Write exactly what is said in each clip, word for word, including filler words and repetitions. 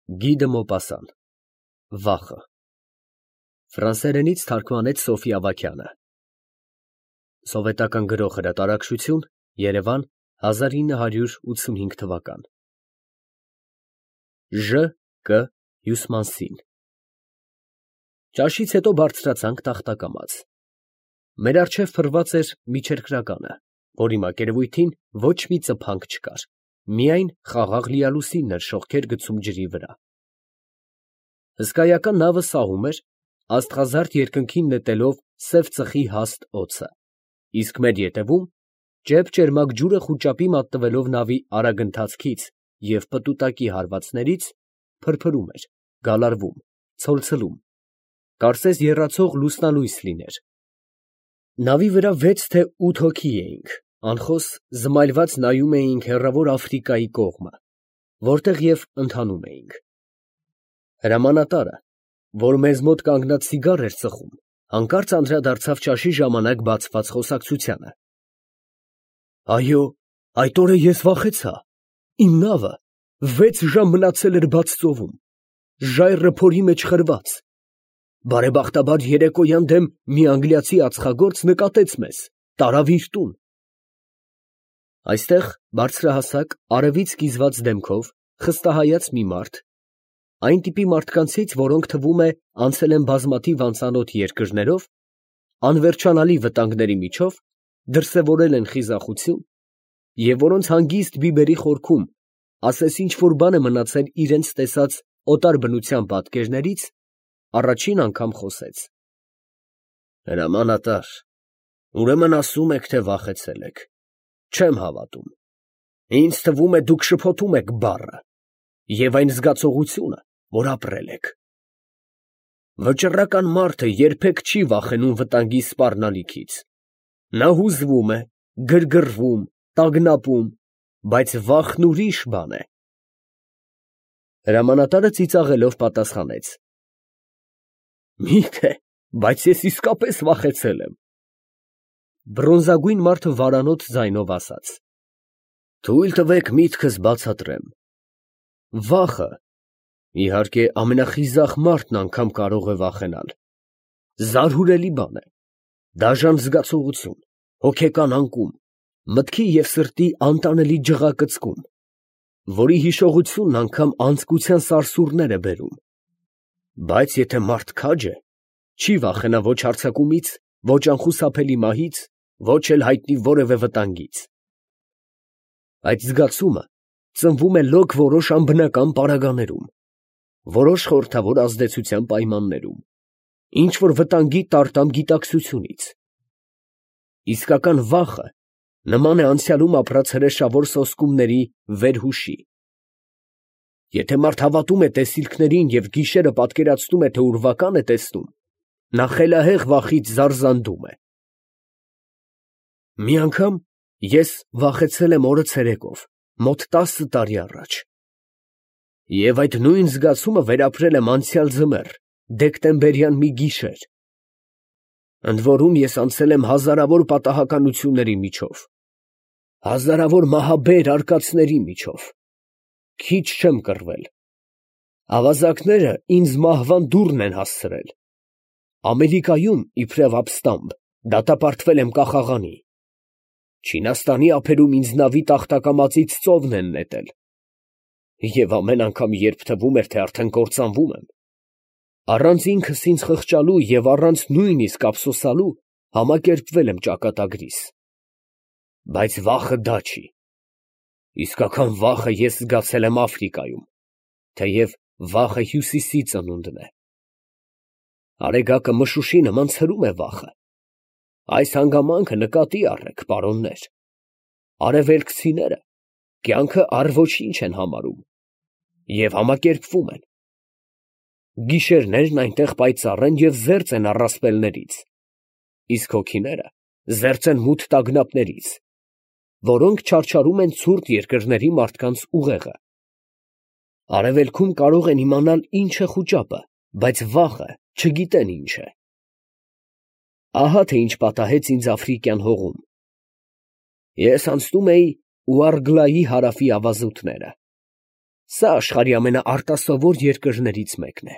Գի դը Մոպասան Վախը Ֆրանսերենից թարգմանեց Սոֆի Ավագյանը Սովետական Գրող Հրատարակչություն Երևան հազար ինը հարյուր ութսունհինգ թվական Ժ Կ Հյուսմանսին Ճաշից հետո բարձրացանք Տախտակամաց Մեր առջև փռված էր միջերկրականը, որի մակերևույթին ոչ մի ծփանք չկար, միայն խաղաղ լիալուսինն էր շողքեր գցում ջրի վրա։ Հսկայական նավը սահում էր, աստղազարդ երկնքին նետելով սև ծխի հաստ օդը, իսկ մեր ետևում ճեպ֊ճերմակ ջուրը խուճապի մատնվելով նավի արագընթացքից և պտուտակի հարվածներից, փրփրում էր, գալարվում, ցոլցլում, կարծես եռացող լուսնալույս լիներ։ Նավի վրա վեց թե ութ հոգի էինք, անխոս զմայլված նայում էինք հեռավոր Աֆրիկայի կողմը, որտեղ և ընթանում էինք։ Հրամանատարը, որ մեզ մոտ կանգնած ցիգար էր ծխում, հանկարծ անդրադարձավ ճաշի ժամանակ բացված խոսակցությանը։ Այո, այդ օրը ես վախեցա, իմ նավը վեց ժամ մնացել էր բաց ծովում, ժայռը փորի մեջ խրված, բարեբախտաբար երեկոյան դեմ մի անգլիացի ածխագործ նկատեց մեզ, տարավ իր տուն։ Այստեղ բարձրահասակ, արևից կիզված դեմքով, խստահայաց մի մարդ, այն տիպի մարդկանցից, որոնք թվում է անցել են բազմաթիվ անծանոթ երկրներով, անվերջանալի վտանգների միջով, դրսևորել են խիզախություն, և որոնց հանգիստ բիբերի խորքում ասես ինչ֊որ բան է մնացել իրենց տեսած օտար բնության պատկերներից, առաջին անգամ խոսեց. Հրամանատար, ուրեմն ասում եք, թե վախեցել եք, չեմ հավատում, ինձ թվում է դուք շփոթում եք բառը և այն զգացողությունը, որ ապրել եք։ Վճռական մարդը երբեք չի վախենում վտանգի սպառնալիքից, նա հուզվում է, գրգռվում, տագնապում, բայց վախն ուրիշ բան է։ Հրամանատարը ծիծաղելով պատասխանեց. Մի՞թե, բայց ես իսկապես վախեցել եմ։ Բրոնզագույն մարդը վարանոտ ձայնով ասաց. Թույլ տվեք միտքս բացատրեմ։ Վախը, իհարկե, ամենախիզախ մարդն անգամ կարող է վախենալ, զարհուրելի բան է, դաժան զգացողություն, հոգեկան անկում, մտքի և սրտի անտանելի ջղակծկում, որի հիշողությունն անգամ անձկության սարսուռներ է բերում, բայց եթե մարդ քաջ է, չի վախենա ոչ հարձակումից, ոչ անխուսափելի մահից, ոչ էլ հայտնի որևէ վտանգից։ Այդ զգացումը ծնվում է լոկ որոշ անբնական պարագաներում, որոշ խորհրդավոր ազդեցության պայմաններում, ինչ֊որ վտանգի տարտամ գիտակցությունից։ Իսկական վախը նման է անցյալում ապրած հրեշավոր սոսկումների վերհուշի։ Եթե մարդ հավատում է տեսիլքներին և գիշերը պատկերացնում է, թե ուրվական է տեսնում, նա խելահեղ վախից զարզանդում է։ Մի անգամ ես վախեցել եմ օրը ցերեկով, մոտ տասը տարի առաջ, և այդ նույն զգացումը վերապրել եմ անցյալ ձմեռ, դեկտեմբերյան մի գիշեր, ընդ որում ես անցել եմ հազարավոր պատահականությունների միջով, հազարավոր մահաբեր արկածների միջով, քիչ չեմ կռվել, ավազակները ինձ մահվան դուռն են հասցրել, Ամերիկայում, իբրև ապստամբ, դատապարտվել եմ կախաղանի, Չինաստանի ափերում ինձ նավի տախտակամածից ծովն են նետել, և ամեն անգամ, երբ թվում էր, թե արդեն կործանվում եմ, առանց ինքս ինձ խղճալու և առանց նույնիսկ ափսոսալու, համակերպվել եմ ճակատագրիս, բայց վախը դա չի, իսկական վախը ես զգացել եմ Աֆրիկայում, թեև վախը հյուսիսի ծնունդն է։ Արեգակը մշուշի նման ցրում է վախը, այս հանգամանքը նկատի առեք, պարոններ, արևելքցիները կյանքը առ ոչինչ են համարում և համակերպվում են, գիշերներն այնտեղ պայծառ են և զերծ են առասպելներից, իսկ հոգիները զերծ են մութ տագնապներից, որոնք չարչարում են ցուրտ երկրների մարդկանց ուղեղը։ Արևելքում կարող են իմանալ ինչ է խուճապը, բայց վախը չգիտեն ինչ է։ Ահա թե ինչ պատահեց ինձ Աֆրիկյան հողում։ Ես անցնում էի Ուարգլայի հարավի ավազուտները։ Սա աշխարհի ամենաարտասովոր երկրներից մեկն է։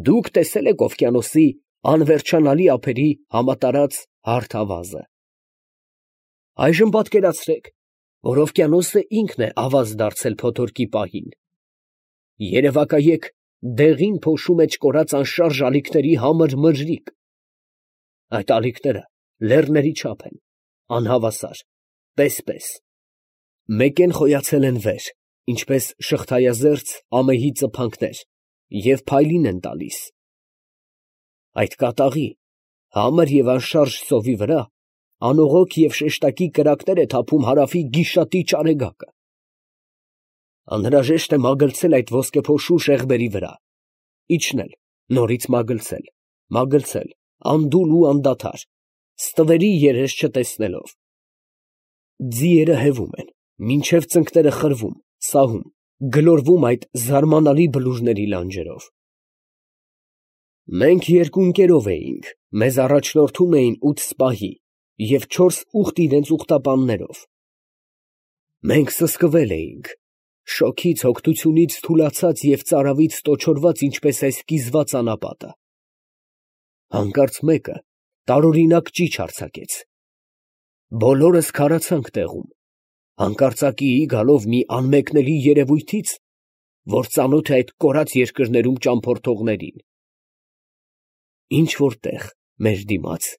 Դուք տեսել եք օվկիանոսի անվերջանալի ափերի համատարած հարթ ավազը։ Այժմ պատկերացրեք, որ օվկիանոսը ինքն է ավազ դարձել փոթորկի պահին։ Երևակայեք դեղին փոշու մեջ կորած անշարժ ալիքների համր մրրիկ։ Այդ ալիքները լեռների չափ են, անհավասար, պես֊պես, մեկ են խոյացել են վեր, ինչպես շղթայազերծ ամեհի ծփանքներ, և փայլին են տալիս։ Այդ կատաղի, համր և անշարժ ծովի վրա անողոք և շեշտակի կրակներ է թափում հարավի գիշատիչ արեգակը։ Անհրաժեշտ է մագլցել այդ ոսկեփոշու շեղբերի վրա, իջնել, նորից մագլցել, մագլցել, անդուլ ու անդադար, ստվերի երես չտեսնելով։ Ձիերը հևում են, մինչև ծնկները խրվում, սահում, գլորվում այդ զարմանալի բլուրների լանջերով։ Մենք երկու ընկերով էինք, մեզ առաջնորդում էին ութ սպահի և չորս ուղտ իրենց ուղտապաններով։ Մենք սսկվել էինք, շոգից, հոգնությունից թուլացած և ծարավից տոչորված, ինչպես այս կիզված անապատը։ Հանկարծ մեկը տարօրինակ ճիչ արձակեց։ Բոլորս քարացանք տեղում, հանկարծակիի գալով մի անմեկնելի երևույթից, որ ծանոթ է այդ կորած երկրներում ճամփորդողներին։ Ինչ֊որ տեղ, մեր դիմաց,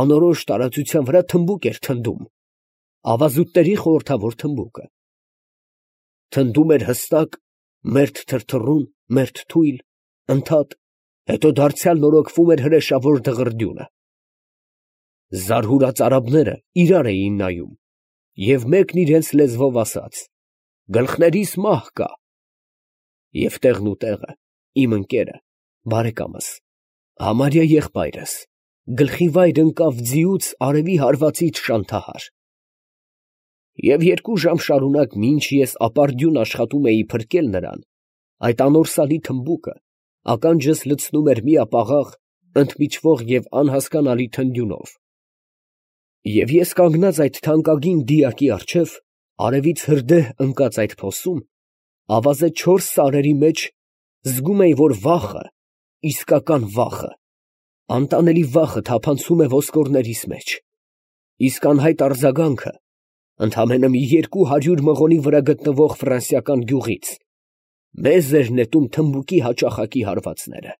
անորոշ տարածության վրա թմբուկ էր թնդում, ավազուտների խորհրդավոր թմբուկը։ Թնդում էր հստակ, մերթ թրթռուն, մերթ թույլ, ընդհատ, հետո դարձյալ նորոգվում էր հրեշավոր դղրդյունը։ Զարհուրած արաբները իրար էին նայում, և մեկն իրենց լեզվով ասաց. «Գլխներիս մահ կա»։ Եվ տեղն ու տեղը իմ ընկերը, բարեկամս, համարյա եղբայրս, գլխի վայր ընկավ ձիուց արևի հարվածից շանթահար։ Եվ երկու ժամ շարունակ, մինչ ես ապարդյուն աշխատում էի փրկել նրան, այդ անորսալի թմբուկը ականջս լցնում էր միապաղաղ, ընդմիջվող և անհասկանալի թնդյունով։ Եվ ես կանգնած այդ թանկագին դիակի առջև, արևից հրդեհ ընկած այդ փոսում, ավազե չորս սարերի մեջ, զգում էի, որ վախը, իսկական վախը, անտանելի վախը թափանցում է ոսկորներիս մեջ, իսկ անհայտ արձագանքը ընդամենը մի երկու հարյուր մղոնի վրա գտնվող ֆրանսիական գյուղից մեզ էր նետում թմբուկի հաճախակի հարվածները։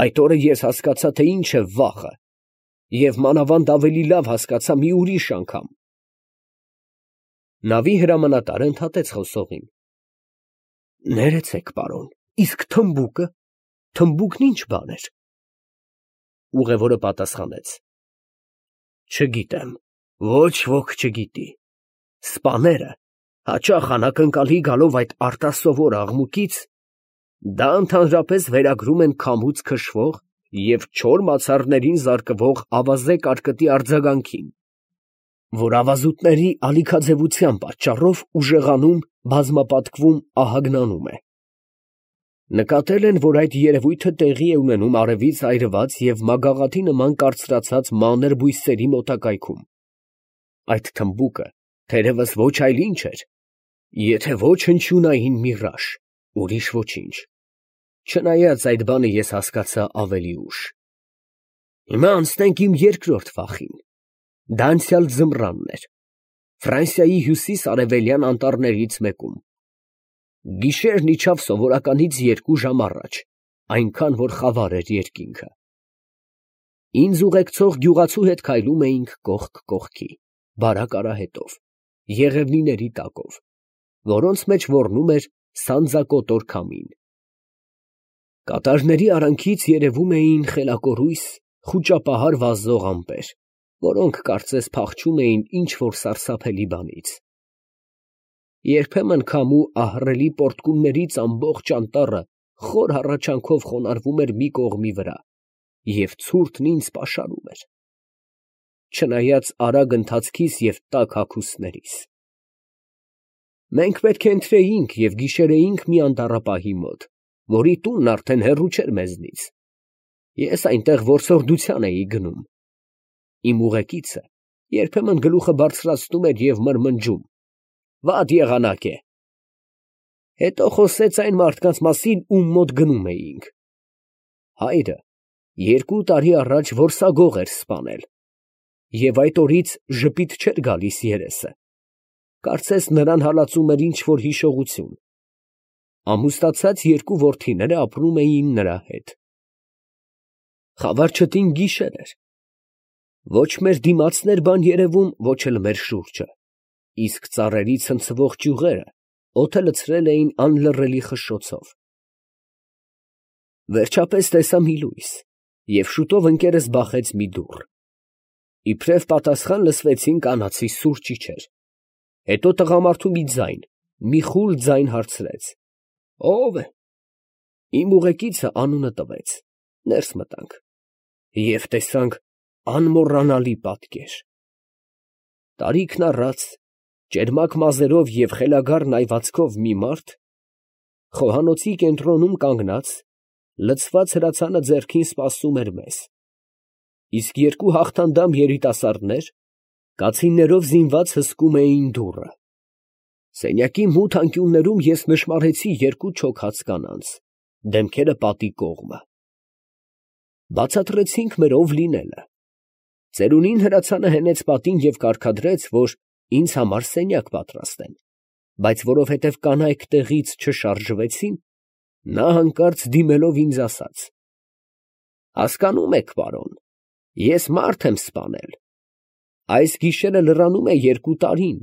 Այդ օրը ես հասկացա, թե ինչ է վախը, և մանավանդ ավելի լավ հասկացա մի ուրիշ անգամ։ Նավի հրամանատարը ընդհատեց խոսողին. «Ներեցեք, պարոն, իսկ թմբուկը, թմբուկն ինչ բան էր»։ Ուղևորը պատասխանեց. «Չգիտեմ, ոչ ոք չգիտի։ Սպաները հաճախ անակնկալի գալով այդ արտասովոր աղմուկից, դա ընդհանրապես վերագրում են քամուց քշվող և չոր մացառներին զարկվող ավազե կարկտի արձագանքին, որ ավազուտների ալիքաձևության պատճառով ուժեղանում, բազմապատկվում, ահագնանում է։ Նկատել են, որ այդ երևույթը տեղի է ունենում արևից այրված և մագաղաթի նման կարծրացած մանր բույսերի մոտակայքում։ Այդ թմբուկը թերևս ոչ այլ ինչ էր, եթե ոչ հնչյունային միրաժ, ուրիշ ոչինչ, չնայած այդ բանը ես հասկացա ավելի ուշ։ Հիմա անցնենք իմ երկրորդ վախին. դա անցյալ ձմռանն էր, Ֆրանսիայի հյուսիս֊արևելյան անտառներից մեկում։ Գիշերն իջավ սովորականից երկու ժամ առաջ, այնքան, որ խավար էր երկինքը։ Ինձ ուղեկցող գյուղացու հետ քայլում էինք կողք կողքի, բարակ արահետով, եղևնիների տակով, որոնց մեջ ոռնում էր սանձակոտոր քամին։ Կատարների արանքից երևում էին խելակորույս, խուճապահար վազող ամպեր, որոնք կարծես փախչում էին ինչ֊որ սարսափելի բանից։ Երբեմն քամու ահռելի պոռթկումներից ամբողջ անտառը խոր հառաչանքով խոնարհվում էր մի կողմի վրա, և ցուրտն ինձ պաշարում էր, չնայած արագ ընթացքիս և տաք հագուստներիս։ Մենք պետք է ընթրեինք և գիշերեինք մի անտառապահի մոտ, որի տունն արդեն հեռու չէր մեզնից։ Ես այնտեղ որսորդության էի գնում։ Իմ ուղեկիցը երբեմն գլուխը բարձրացնում էր և մրմնջում. «Վատ եղանակ է, Հետո խոսեց այն մարդկանց մասին, ում մոտ գնում էինք։ Հայրը երկու տարի առաջ որսագող էր սպանել, և այդ օրից ժպիտ չէր գալիս երեսը, կարծես նրան հալածում էր ինչ֊որ հիշողություն։ Ամուսնացած երկու որդիները ապրում էին նրա հետ։ Խավարչտին գիշեր էր։ Ոչ մեր դիմացն էր բան երևում, ոչ էլ մեր շուրջը, իսկ ծառերի ցնցվող ճյուղերը օդը լցրել էին անլռելի խշշոցով։ Վերջապես տեսա մի լույս, և շուտով ընկերս բախեց մի դուռ։ Իբրև պատասխան լսվեցին կանացի սուր ճիչեր։ Հետո տղամարդու մի ձայն, մի խուլ ձայն հարցրեց. «Ո՞վ է»։ Իմ ուղեկիցը անունը տվեց։ Ներս մտանք և տեսանք անմոռանալի պատկեր։ Տարիքն առած, ճերմակ մազերով և խելագար այվածքով մի մարդ խոհանոցի կենտրոնում կանգնած, լցված հրացանը ձեռքին սպասում էր մեզ, իսկ երկու հաղթանդամ երիտասարդներ կացիններով զինված հսկում էին դուռը։ Սենյակի մութ անկյուններում ես նշմարեցի երկու չոքած կանանց, դեմքերը պատի կողմը։ Բացատրեցինք մեր ով լինելը։ Ծերունին հրացանը հենեց պատին և կարգադրեց, որ ինձ համար սենյակ պատրաստեն, բայց որովհետև կանայք տեղից չշարժվեցին, նա հանկարծ դիմելով ինձ ասաց. «Հասկանում եք, պարոն, ես մարդ եմ սպանել։ Այս գիշերը լրանում է երկու տարին,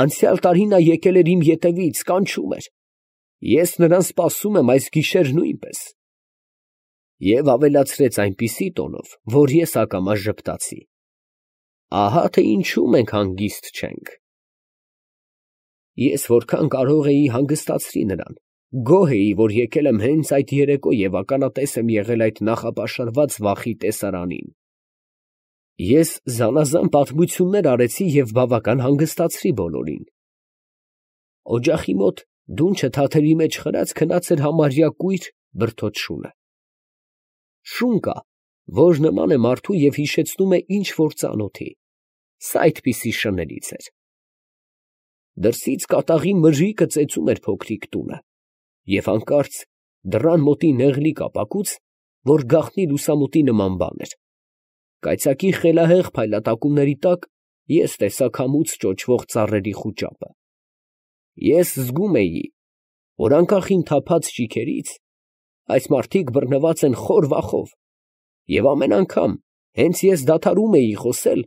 անցյալ տարի նա եկել էր իմ ետևից, կանչում էր, ես նրան սպասում եմ այս գիշեր նույնպես»։ Եվ ավելացրեց այնպիսի տոնով, որ ես ակամա ժպտացի. «Ահա թե ինչու մենք հանգիստ չենք»։ Ես որքան կարող էի հանգստացրի նրան, գոհ էի, որ եկել եմ հենց այդ երեկո և ականատես եմ եղել այդ նախապաշարված վախի տեսարանին։ Ես զանազան պատմություններ արեցի և բավական հանգստացրի բոլորին։ Օջախի մոտ դունչը թաթերի մեջ խրած քնած էր համարյա կույր բրդոտ շունը։ Շուն կա, որ նման է մարդու և հիշեցնում է ինչ֊որ ծանոթի, սա այդպիսի շներից էր։ Դրսից կատաղի մրրիկը ծեծում էր փոքրիկ տունը, և հանկարծ դռան մոտի նեղլիկ ապակուց, որ գաղտնի լուսամուտի նման բան էր, կայծակի խելահեղ փայլատակումների տակ ես տեսա քամուց ճոճվող ծառերի խուճապը։ Ես զգում էի, որ անկախ իմ թափած ճիգերից, այս մարդիկ բռնված են խոր վախով, և ամեն անգամ, հենց ես դադարում էի խոսել,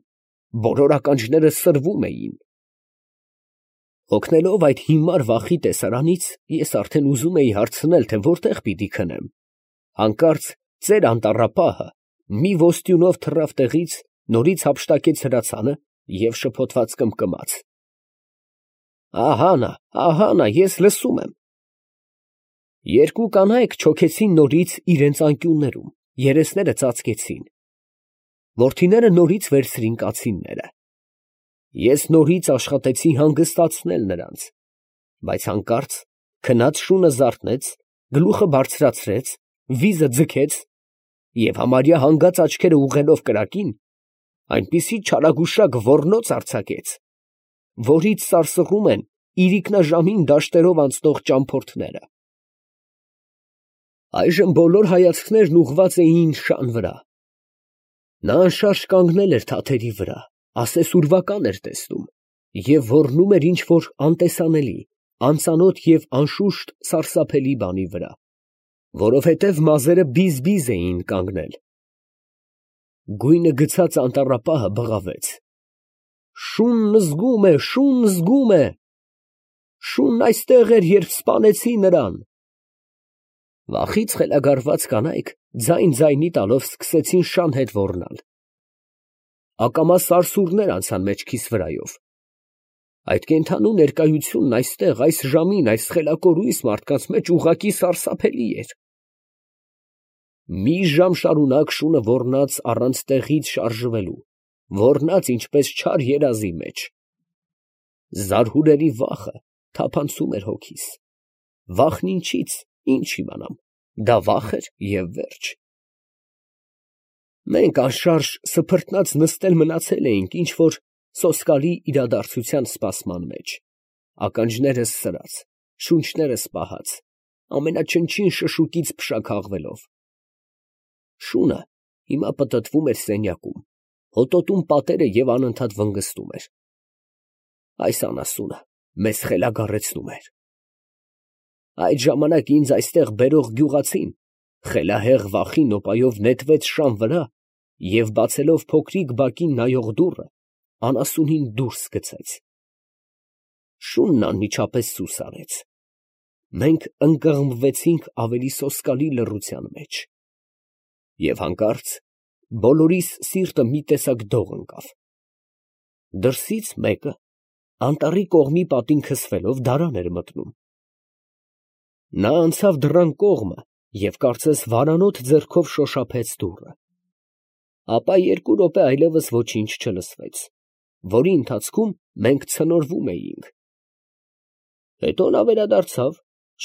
բոլոր ականջները սրվում էին։ Հոգնելով այդ հիմար վախի տեսարանից, ես արդեն ուզում էի հարցնել, թե որտեղ պիտի քնեմ, հանկարծ ծեր անտառապահը մի ոստյունով թռավ տեղից, նորից հափշտակեց հրացանը և շփոթված կմկմաց. «Ահա նա, ահա նա, ես լսում եմ»։ Երկու կանայք չոքեցին նորից իրենց անկյուններում, երեսները ծածկեցին։ Որդիները նորից վերցրին կացինները։ Ես նորից աշխատեցի հանգստացնել նրանց, բայց հանկարծ քնած շունը զարթնեց, գլուխը բարձրացրեց, վիզը ձգեց և համարյա հանգած աչքերը ուղղելով կրակին, այնպիսի չարագուշակ ոռնոց արձակեց, որից սարսռում են իրիկնաժամին դաշտերով անցնող ճամփորդները։ Այժմ բոլոր հայացքներն ուղղված էին շան վրա։ Նա անշարժ կանգնել էր թաթերի վրա, ասես ուրվական էր տեսնում, և ոռնում էր ինչ֊որ անտեսանելի, անծանոթ և անշուշտ սարսափելի բանի վրա, որովհետև մազերը բիզ֊բիզ էին կանգնել։ Գույնը գցած անտառապահը բղավեց. «Շունն զգում է, շունն զգում է… Շունն այստեղ էր, երբ սպանեցի նրան»։ Վախից խելագարված կանայք ձայն֊ձայնի տալով սկսեցին շան հետ ոռնալ։ Ակամա սարսուռներ անցան մեջքիս վրայով։ Այդ կենդանու ներկայությունն այստեղ, այս ժամին, այս խելակորույս մարդկանց մեջ ուղղակի սարսափելի էր։ Մի ժամ շարունակ շունը ոռնաց առանց տեղից շարժվելու, ոռնաց ինչպես չար երազի մեջ։ Զարհուրելի վախը թափանցում էր հոգիս։ Վախն ինչից, ինչ իմանամ, դա վախ էր և վերջ։ Մենք անշարժ սփռտնած նստել մնացել էինք ինչ֊որ սոսկալի իրադարձության սպասման մեջ, ականջներս սրած, շունչները սպահած, ամենաչնչին շշուկից փշաքաղվելով։ Շունը հիմա պտտվում էր սենյակում, հոտոտում պատերը և անընդհատ վնգստում էր. այս անասունը մեզ խելագարեցնում էր։ Այդ ժամանակ ինձ այստեղ բերող գյուղացին խելահեղ վախի նոպայով նետվեց շան վրա և բացելով փոքրիկ բակին նայող դուռը, անասունին դուրս գցեց։ Շունն անմիջապես սուս արեց։ Մենք ընկղմվեցինք ավելի սոսկալի լռության մեջ, և հանկարծ բոլորիս սիրտը մի տեսակ դող ընկավ։ Դրսից մեկը, անտառի կողմի պատին քսվելով, դարան էր մտնում։ Նա անցավ դռան կողմը և կարծես վարանոտ ձեռքով շոշափեց դուռը։ Ապա երկու րոպե այլևս ոչինչ չլսվեց, որի ընթացքում մենք ցնորվում էինք։ Հետո նա վերադարձավ,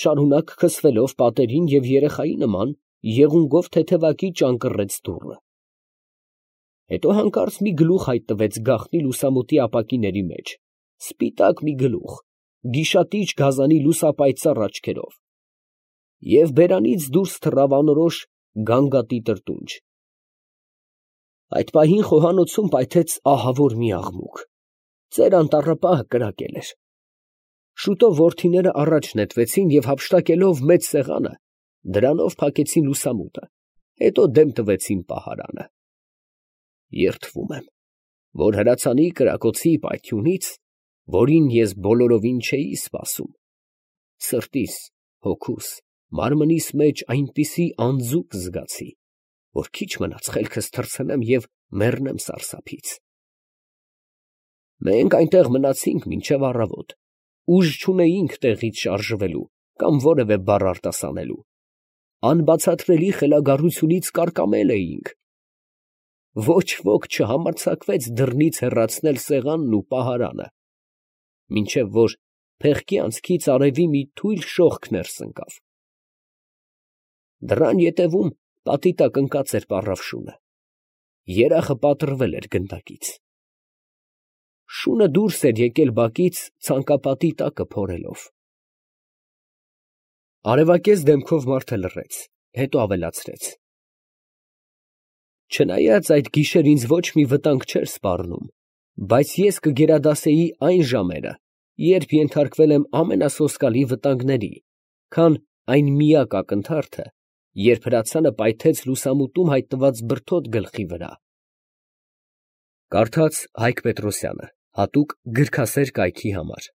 շարունակ քսվելով պատերին և երեխայի նման եղունգով թեթևակի ճանկռեց դուռը։ Հետո հանկարծ մի գլուխ հայտնվեց գաղտնի լուսամուտի ապակիների մեջ, սպիտակ մի գլուխ, գիշատիչ գազանի լուսապայծառ աչքերով, և բերանից դուրս թռավ անորոշ գանգատի տրտունջ։ Այդ պահին խոհանոցում պայթեց ահավոր մի աղմուկ. ծեր անտառապահը կրակել էր։ Շուտով որդիները առաջ նետվեցին և հափշտակելով մեծ սեղանը, դրանով փակեցին լուսամուտը, հետո դեմ տվեցին պահարանը։ Երդվում եմ, որ հրացանի կրակոցի պայթյունից, որին ես բոլորովին չէի սպասում, սրտիս, հոգուս, մարմնիս մեջ այնպիսի անձուկ զգացի, որ քիչ մնաց խելքս թռցնեմ և մեռնեմ սարսափից։ Մենք այնտեղ մնացինք մինչև առավոտ, ուժ չունեինք տեղից շարժվելու կամ որևէ բառ արտասանելու, անբացատրելի խելագարությունից կարկամել էինք։ Ոչ ոք չհամարձակվեց դռնից հեռացնել սեղանն ու պահարանը, մինչև որ փեղկի անցքից արևի մի թույլ շողք ներս ընկավ։ Դռան ետևում պատի տակ ընկած էր պառավ շունը, երախը պատռվել էր գնդակից։ Շունը դուրս էր եկել բակից ցանկապատի տակը փորելով։ Արևակեզ դեմքով մարդը լռեց, հետո ավելացրեց. չնայած այդ գիշեր ինձ ոչ մի վտանգ չէր սպառնում, բայց ես կգերադասեի այն ժամերը, երբ ենթարկվել եմ ամենասոսկալի վտանգների, քան այն միակ ակնթարթը, երբ հրացանը պայթեց լուսամուտում հայտնված բրդոտ գլխի վրա։ Կարդաց Հայկ Պետրոսյանը, հատուկ գրքասեր կայքի համար։